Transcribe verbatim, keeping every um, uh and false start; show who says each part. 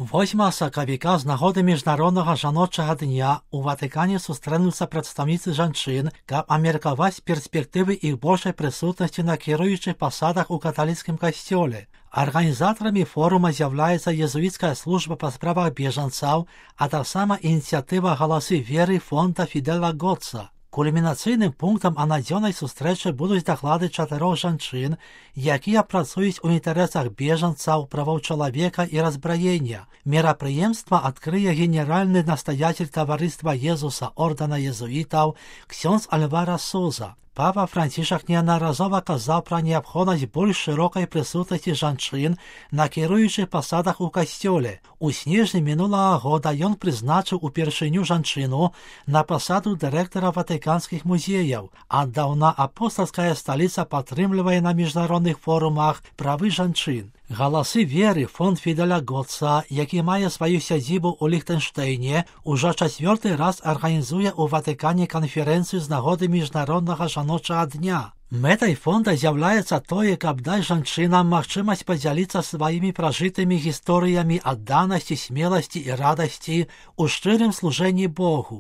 Speaker 1: восьмага сакавіка з нагоды міжнароднага жаночага дня у Ватыкане сустрэнуцца прадстаўніцы жанчын, каб абмеркаваць перспектывы іх большай прысутнасці на кіруючых пасадах у каталіцкім касцёле. Арганізатарамі форума з'яўляецца езуіцкая служба па справах бежанцаў, а таксама ініцыятыва «Галасы веры» фонда Фідэла Готца. Кульмінацыйным пунктам анадзённай сустрэчы будуць даклады чатырох жанчын, якія працуюць у інтарэсах бежанцаў, правоў чалавека і разбраення. Мерапрыемства адкрые генеральны настаяцель таварыства Езуса ордэна езуітаў ксёндз Альвара Суза. Папа Францішак неаднаразова казаў пра неабходнасць больш шырокай прысутнасці жанчын на кіруючых пасадах у касцёле. У снежні мінулага года ён прызначыў упершыню жанчыну на пасаду дырэктара ватыканскіх музеяў. Аддаўна апостальская сталіца падтрымлівае на міжнародных форумах правы жанчын. «Галасы веры» фонд Фідэля Готца, які мае сваю сядзібу ў Ліхтэнштэйне, ужо чацвёрты раз арганізуе ў Ватыкане канферэнцыю з нагоды міжнароднага жаночага дня. Мэтай фонда з'яўляецца тое, каб даць жанчынам магчымасць падзяліцца сваімі пражытымі гісторыямі адданасці, смеласці і радасці ў шчырым служэнні Богу.